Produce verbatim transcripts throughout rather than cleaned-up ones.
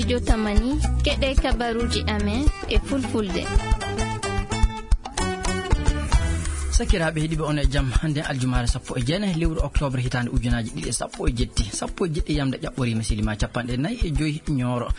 Jotamani, keɗe kabaruuji amen e fulfulde. Sakiraaɓe heɗiiɓe, on e jam. Hannde aljumaare sappo e jeenayi lewru oktoobre hitaande ujunaaji ɗiɗi e sappo e jetti. Sappo e jeɗɗi yamde ƴaɓɓoriima silima capanɗe nayi e joyi ñooro.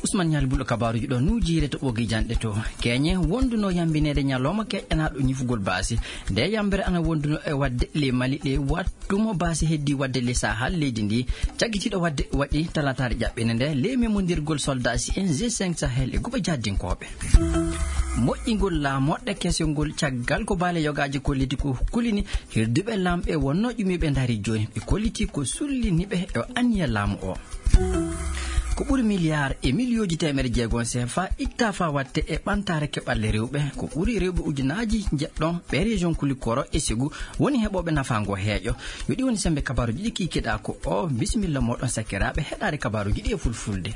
Usman Ñaali Bul kabaaruuji ɗo nuujiire to ɓogi janɗe to. Keñe wonduno yambineede ñalawma keƴanaaɗo ñifugol baasi. Nde yambere ana wonduno e waɗde le Mali ɗe wat- Tuma baasi heddi waɗde le Sahal leydi ndi, caggitiiɗo waɗde waɗi talataare ƴaɓɓinde nde, le memondirgol soldaasi en G cinq Sahel e guɓe jaddinkooɓe. Moƴƴingol laamoɗɗe kesengol caggal ko baale yogaaji kolliti ko kulini hirduɓe lamɓe wonno ƴumiiɓe ndaari jooni, ɓe kolliti ko sulliniɓe e anniya laamu o. Ko ɓuri miliyaar e miliyooji teemere jeegom C F A itta faa waɗte e ɓantaare keɓalle rewɓe. Ko ɓuri rewɓe ujunaaji jeɗɗo ɓe région Kulikoro e Segu woni heɓooɓe nafaa ngo heeƴo. Yo ɗi woni semmbe kabaaruuji ɗi kiikiɗaa ko o. Bisimilla mooɗon sakiraaɓe heɗaare kabaaruuji ɗi e fulfulde.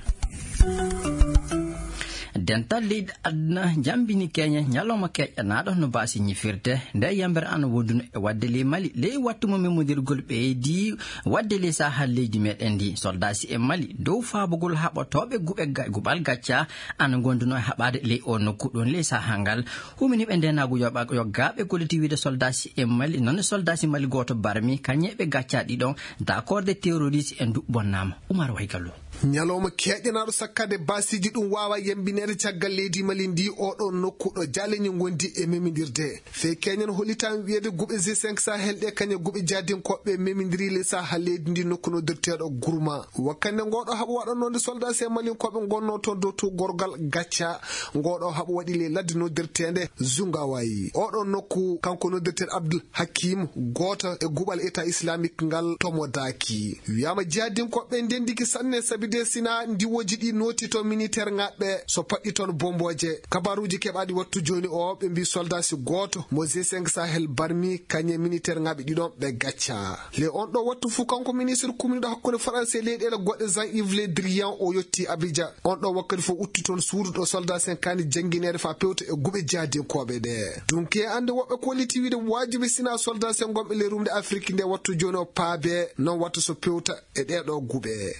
Dental leyɗe aduna jammbini keñe ñalawma keƴanaaɗo no baasi ñifirde. Nde yambere ana wonduno e waɗde ley Mali, ley wattu mo memondirgol ɓeydi waɗde ley Sahal leydi meɗen ndi. Soldaasi e Mali dow faabugol haɓotooɓe guɓe ga-, guɓal gacca ana gonduno e haɓaade ley o nokku ɗon ley Sahal ngal. Huminiiɓe ndeenaagu yoɓa-, yoggaaɓe kolliti wiide soldaasi e Mali, noon soldaasi Mali gooto barmi, kañe ɓe gaccaa ɗiɗon, dakorde terroriste en du bonnaama. Umar Waygallo. Ñalawma keeƴanaaɗo sakkaade baasiiji ɗum waawaa yambineede caggal leydi Mali ndi oɗo nokku ɗo jaaleñi ngondi e memindirde. Fee keñen hollitaan wiyeede guɓe G cinq Sahel ɗe kañe guɓe jaadinkooɓe memindiri le Sahal leydi ndi nokku noddirteeɗo Gurma. Wakkande ngoɗo haɓo waɗannoonde soldaasi e malinkooɓe ngonnoo toon dow to gorgal gacca. Ngoɗo haɓo waɗi le ladde noddirteende Zungawayi. Oɗo nokku kanko noddirteeɗo Abdul Hakim, gooto e guɓal État Islamique ngal tomodaaki. Wiyaama jihadinkooɓe ndendiki sanne, sabi de sina ndiwooji ɗi nooti to militaire ŋaaɓe so paɗɗi toon bombooje. Kabaaruuji keɓaaɗi wattu jooni o, ɓe mbii soldaasi gooto mo G cinq Sahel barmi, kañe militaire ŋaaɓe ɗiɗon ɓe gacca. Le on ɗo wattu fuu, kanko ministre kumniiɗo hakkunde Faransi e leyɗeele goɗɗe Jean-Yves Le Drian, o yotti Abidjan. On ɗo wakkati fof utti toon suudu ɗo soldat sen kaani janngineede faa pewta e guɓe jihadinkooɓe ɗe. Ɗum ke annde woɓɓe kolliti wiide waajibi sina soldat sen gonɓe ley rumde Afrik nde wattu jooni o paabe, noon wattu so pewta e ɗee ɗo guɓe.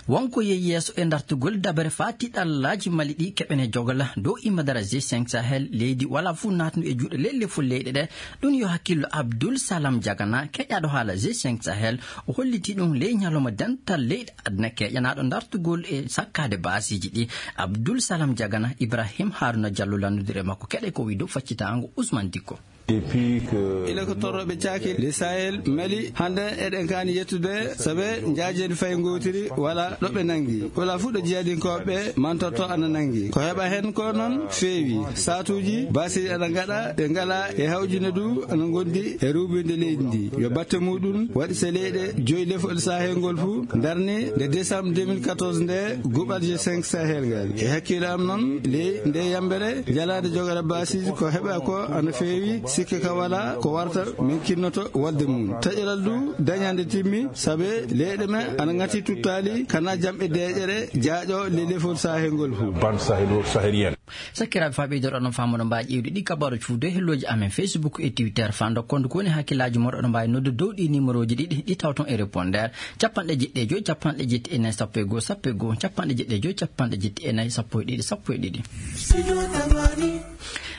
Wonko yehi yeeso e dartugol dabere faa tiɗallaaji Mali ɗi keɓene jogla dow immadara G cinq Sahel, leydi wala fuu naatnu e juuɗe lelle fuu leyɗe ɗe. Ɗum yo hakkillo Abdul Salam Jagana, keƴaaɗo haala G cinq Sahel, o holliti ɗum ley ñalawma dental leyɗe aduna keƴanaaɗo dartugol e sakkaade baasiiji ɗi. Abdul Salam Jagana, Ibrahim Haruna Jallo lanndudiri e makko keɗe ko wii dow faccitaango Usman Dikko. Depuis que ila ko torroɓe caaki le Sahel Mali, hannde eɗen kaani yettude sabe njaajendi fay ngootiri wala ɗo ɓe nanngi. Wala fuu ɗo jihadinkooɓe mantorto ana nanngi. Ko heɓa heen ko noon feewi. Saatuuji baasiiji ana ngaɗa, ɗe ngala e hawjine du ana ngondi e ruubinde leydi ndi. Yo batte muɗum waɗi so leyɗe joyi lefol Sahel ngol fuu darni nde décembre deux mille quatorze nde guɓal G cinq Sahel ngal. E hakkille am noon, ley nde yambere jalaade jogora baasiiji ko heɓa ko ana feewi, sikke ka wala ko warta min kinnoto walde mum. Taƴeral du dañande timmi, sabe leyɗe men ana ngati tuttaali kana jamɓe deeƴere jaaƴo le lefol Sahel ngol fuu. Bande sahélo-, sahélienne. Sakiraaɓe, faa ɓeydoɗon no faamuɗon mbaawi ƴeewde ɗi kabaaruuji fuu dow hellooji amen Facebook e Twitter. Faa ndokkon ko woni hakkillaaji mon, oɗon mbaawi noddude dow ɗi numerooji ɗiɗi, ɗi tawton e répondeur, capanɗe jeɗɗi e joy, capanɗe jetti e nayi, sappo e goo, sappo e goo, capanɗe jeɗɗi e joy, capanɗe jetti e nayi, sappo e ɗiɗi, sappo e ɗiɗi.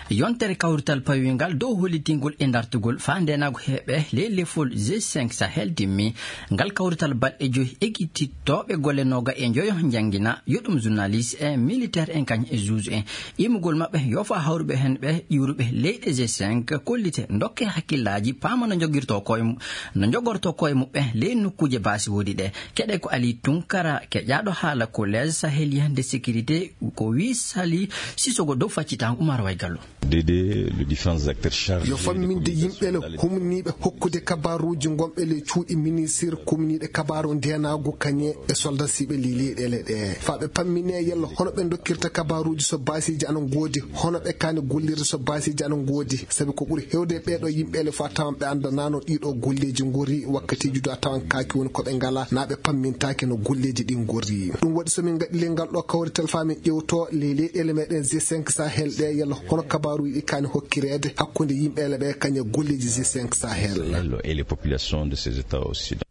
Yontere kawrital pawii ngal dow hollitingol e dartugol faa ndeenaagu heɓe ley lefol G cinq Sahel timmi. Ngal kawrital balɗe joy, ekitittooɓe golle nooga e njoyo njanngina, yo ɗum journaliste en, militaire en, kañum e juge en. Immugol maɓɓe yo faa hawruɓe heen ɓe ƴuuruɓe leyɗe G cinq, kollite, ndokke hakkillaaji, paama no njogirtoo koye mu-, no njogortoo koye muɓɓe ley nokkuuje baasi woodi ɗe. Keɗe ko Ali Tunkara, keƴaaɗo haala Collège Sahélien de Sécurité, ko wii Sali Sissoko dow faccitaango Umar Waygallo. Dédé, le différents acteurs chargés yo famminde yimɓe le humniiɓe hokkude kabaaruuji ngonɓe le cuuɗi ministre kumniiɗe kabaaru ndeenaagu kañe e soldasiiɓe le leyɗeele ɗe. Faa ɓe pammine yalla hono ɓe ndokkirta kabaaruuji so baasiiji ana ngoodi, hono ɓe kaani gollirde so baasiiji ana ngoodi. Sabi ko ɓuri heewde e ɓee ɗo yimɓe le faa tawan ɓe anndanaano ɗii ɗo golleeji ngori wakkatiiji du a tawan kaaki woni ko ɓe ngalaa, naa ɓe pammintaake no golleeji ɗi ngori. Ɗum waɗi so min ngaɗi le ngal ɗo kawrital faa min ƴeewto le leyɗeele meɗen G cinq Sahel ɗe yalla hono kabaaruuji ɗi kaani hokkireede hakkunde yimɓe le ɓe kañe golleeji G cinq Sahel. Et les populations de ces États occidentaux.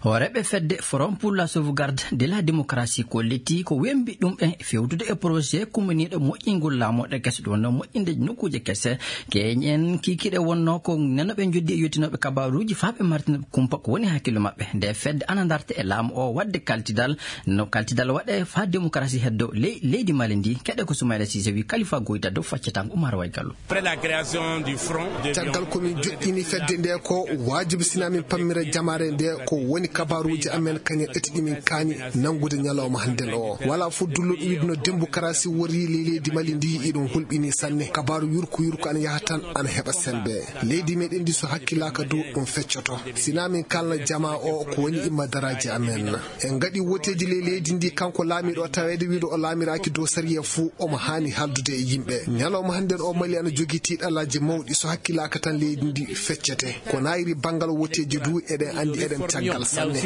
Hooreeɓe fedde Forum pour la sauvegarde de la démocratie kolliti ko wembi ɗum en fewtude e projet kumminiiɗo moƴƴingol laamorɗe kese, ɗum wonno moƴƴinde nokkuuje kese. Keñen kikiɗe wonno ko nanoɓe njoddi e yottinooɓe kabaaruuji faa ɓe martina kumpa ko woni hakkillo maɓɓe. Nde fedde ana darta e laamu o waɗde kaltidal, no kaltidal waɗe faa démocratie heddo ley-, leydi Mali ndi. Keɗe ko Soumaïla Cissé wi Khalifa Goïta dow faccatango Oumar Way Gallo. Après la création du front de Caggal ko min joɗɗini fedde nde, ko waajibi sina min pammira jamaare nde ko woni kabaaruuji amen kañen eti ɗi min kaani nanngude ñalawma hannden o. Wala fof dulluɗo wiide no démocratie wori ley leydi Mali ndi, iɗum hulɓini sanne. Kabaaru yurko yurko ana yaha tan ana heɓa sembe. Leydi meɗen ndi so hakkilaaka dow ɗum feccoto. Sina min kalna jama o ko woni imma daraaji amen. En ngaɗi woteeji ley leydi ndi, kanko laamiiɗo o, taweede wiide o laamiraaki dow sariya fuu, omo haani haaldude e yimɓe. Ñalawma hannden o, Mali ana jogii tiiɗallaaji mawɗi, so hakkilaaka tan leydi ndi feccete. Ko naayiri banngal woteeji du, eɗen anndi eɗen caggal sanne.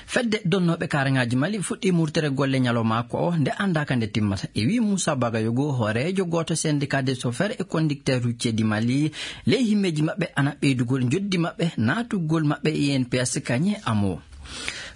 Fedde donnooɓe kaaraŋaaji Mali fuɗɗii murtere golle ñalawma ko o, nde anndaaka nde timmata. E wii Moussa Bagayogo, hooreejo gooto syndicat des chauffeurs et conducteurs routiers du Mali, ley himmeeji maɓɓe ana ɓeydugol njoddi maɓɓe, naatugol maɓɓe E N P S kañe amo.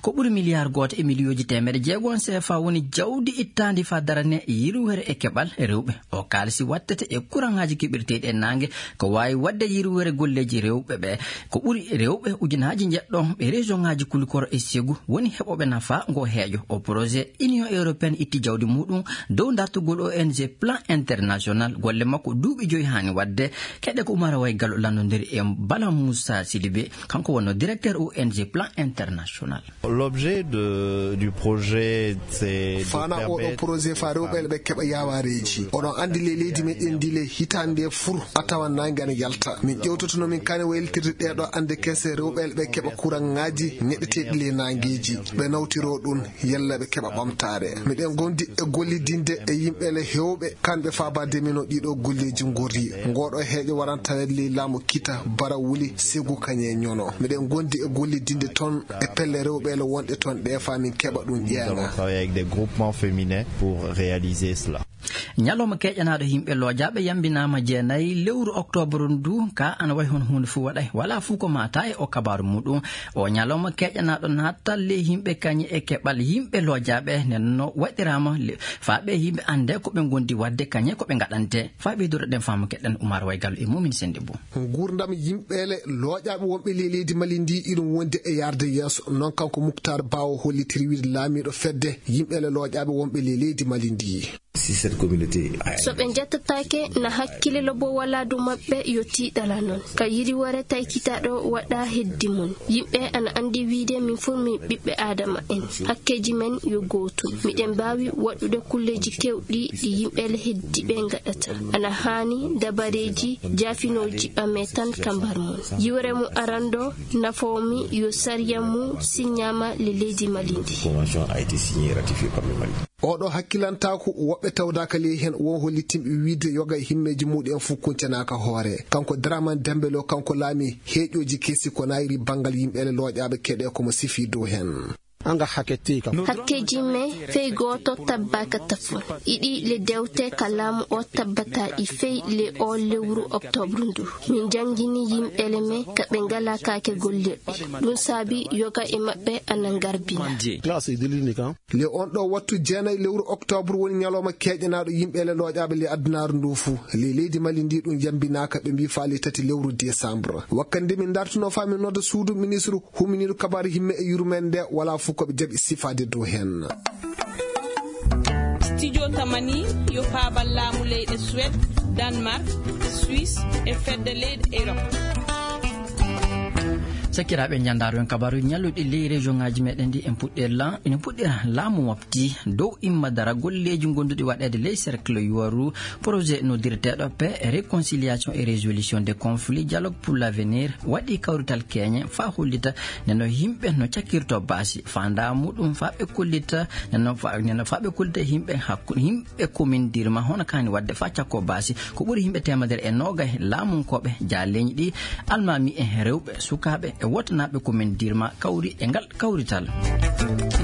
Ko ɓuri miliyaar gooto e miliyooji teemedde jeego C F A woni jawdi ittaandi faa darane yirwere e keɓal rewɓe. O kaalisi wattete e kuraŋaaji keɓirteeɗi e naange, ko waawi waɗde yirwere golleeji rewɓe ɓe. Ko ɓuri rewɓe ujunaaji njeɗɗo ɓe région ŋaaji Kulikoro e Segu woni heɓooɓe nafa ngo heejo. O projet Union Européenne itti jawdi muɗum dow dartugol O N G Plan International. Golle makko duuɓi joyi haani waɗde. Keɗe ko Oumar Way Gallo lanndondiri e Bala Moussa Sidibé. Kanko wonno directeur O N G Plan International. L'objet de, du projet, c'est de Fana oɗo permettre projet fa rewɓe ɓe keɓa yaawareeji. Oɗon anndi le leydi meɗen ndi le hitaande fur a tawa naange ana yalta. Min ƴewtoto no min kaani wayltirde ɗeɗo annde kese rewɓe ɓe keɓa kuraŋaaji ñeɗeteeɗi le naangeeji. Ɓe nawtiro ɗum yalla ɓe keɓa ɓamtaare. Miɗen gondi e gollidinde e yimɓe le hewɓe kanɓe faabaade min o ɗiɗo golleeji ngorri. Ngoɗo heeƴo waranta ley laamu Kita, Bara Wuli, Segu kañe Ñono. Miɗen gondi e gollidinde toon e pelle rewɓe le wonɗe toon ɗe faa min keɓa ɗum ƴeeŋa. Nous allons travailler avec des groupements féminins pour réaliser cela. Ñalawma keƴanaaɗo yimɓe loojaaɓe yambinaama jeenayi lewru oktoobar ndu, ka ana wayi hono huunde fof waɗay. Wala fof ko maata e o kabaaru muɗum. O ñalawma keƴanaaɗo naattal ley yimɓe kañe e keɓal yimɓe loojaaɓe nen no waɗiraama le-, faa ɓe yimɓe annde ko ɓe ngondi waɗde kañe ko ɓe ngaɗante. Faa ɓeydude ɗen faamu keɗen Oumar Way Gallo e Momin Sendibou. Nguurndam yimɓeele looƴaaɓe wonɓe ley leydi Mali ndi iɗum wondi e yaarde yeeso. Noon kanko Muktar Ba o hollitiri wiide laamiiɗo fedde yimɓeele looƴaaɓe wonɓe ley leydi Mali ndi. Si cette communauté a- So ɓe njettataake na hakkille lobo wala dow maɓɓe yo tiiɗala noon. Ka yiriwore taykitaaɗo waɗa heddi mum. Yimɓe ana anndi wiide min fof min ɓiɓɓe Aadama en. Hakkeeji men yo gootum. Miɗen mbaawi waɗude kulleeji kewɗi ɗi yimɓeele heddiɓe ngaɗata. Ana haani dabareeji jaafinooji ɓame tan ka mbar mum. Yiwre mum arando nafoomi yo sariya mum siññaama le leydi Mali ndi. Convention a été signée et ratifiée par le Mali. Oɗo hakkilantaaku woɓɓe tawdaaka ley heen won hollitinɓe wiide yoga e himmeeji muɗum en fof kuncanaaka hoore. Kanko Dramane Dembélé o, kanko laami heeƴooji kesi ko nayri banngal yimɓeele looƴaaɓe keɗe ko mo sifi dow heen. Anga hakketi kam. Hakkeeji men fey gooto tabbaaka tafon. Iɗi le dewte ka laamu o tabbata i fey le o lewru oktoobre ndu. Min janngini yimɓeele men ka ɓe ngala kaake gollirɗe. Ɗum saabi yoga e maɓɓe ana ngarbina. Classe e delini kam. Le on ɗo wattu jeenayi lewru oktoobre woni ñalawma keeƴanaaɗo yimɓeele looƴaaɓe le adunaaru ndu fuu. Le leydi Mali ndi ɗum yambinaaka ɓe mbi faali tati lewru décembre. Wakkande min dartuno faa min nodda suudu ministre huminiiɗo kabaaru himme e yurmeende nde wala fof ko ɓe jaɓi sifaade dow heen. Studio Tamani yo faabal laamu leyɗe Suède, Danemark, Suisse e fedde leyɗe Europe. Sakiraaɓe, ñanndaaro en kabaaru ñalluɗi ley région ŋaaji meɗen ɗi en puɗɗe la-, ene puɗɗira laamu mofti dow imma dara golleeji gonduɗi waɗeede ley cercle yuwaru. Projet noddirteeɗo paix, réconciliation et résolution des conflits, dialogue pour l'avenir, waɗi kawrital keñe faa hollita neno yimɓe no cakkirto baasi. Faandaa muɗum faa ɓe kollita neno faa, neno faa ɓe kollita yimɓe hakku-, yimɓe commune Dirma hono kaani waɗde faa cakko baasi. Ko ɓuri yimɓe teemedere e noogay laamunkooɓe jaaleeñi ɗi, almaami e rewɓe, sukaaɓe e wootanaaɓe commune Dirma kawri e ngal kawrital.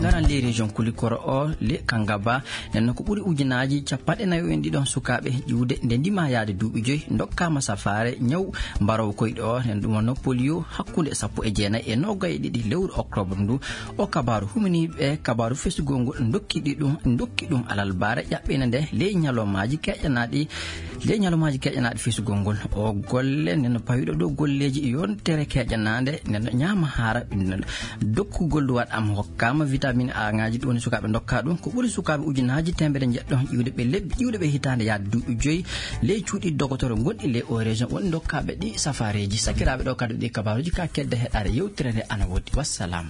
Aran ley région Kulikoro o, le Kangaba, nden ko ɓuri ujunaaji capanɗe nayo en ɗiɗon sukaaɓe ƴiwde nde ndima yaade duuɓi joyi, ndokkaama safaare ñaw mbarowo koyɗe o, nden ɗum wonno polio, hakkunde sappo e jeenayi e noogay e ɗiɗi lewru octobre ndu. O kabaaru huminiiɓe kabaaru fesugol ngol ndokki ɗi ɗum, ndokki ɗum alalbaare ƴaɓɓina nde ley ñalawmaaji keƴanaaɗi, ley ñalawmaaji keƴanaaɗi fesugol ngol. O golle nden pawiɗo ɗo golleeji yontere keƴanaande nden ñaama haara ɓinnduɗo. Dokkugol duwaɗ am hokkaama vitamine A ŋaaji ɗum woni sukaaɓe ndokka ɗum. Ko ɓuri sukaaɓe ujunaaji teemedere njeɗɗo iwde ɓe lebbi, iwde ɓe hitaande yaade duuɓi joyi ley cuuɗi dogotoro gonɗi ley o région woni ndokkaaɓe ɗi safareeji. Sakiraaɓe ɗo kadi ɗi kabaaruuji ka kedde heɗaare yewtere nde ana woodi. Wassalam.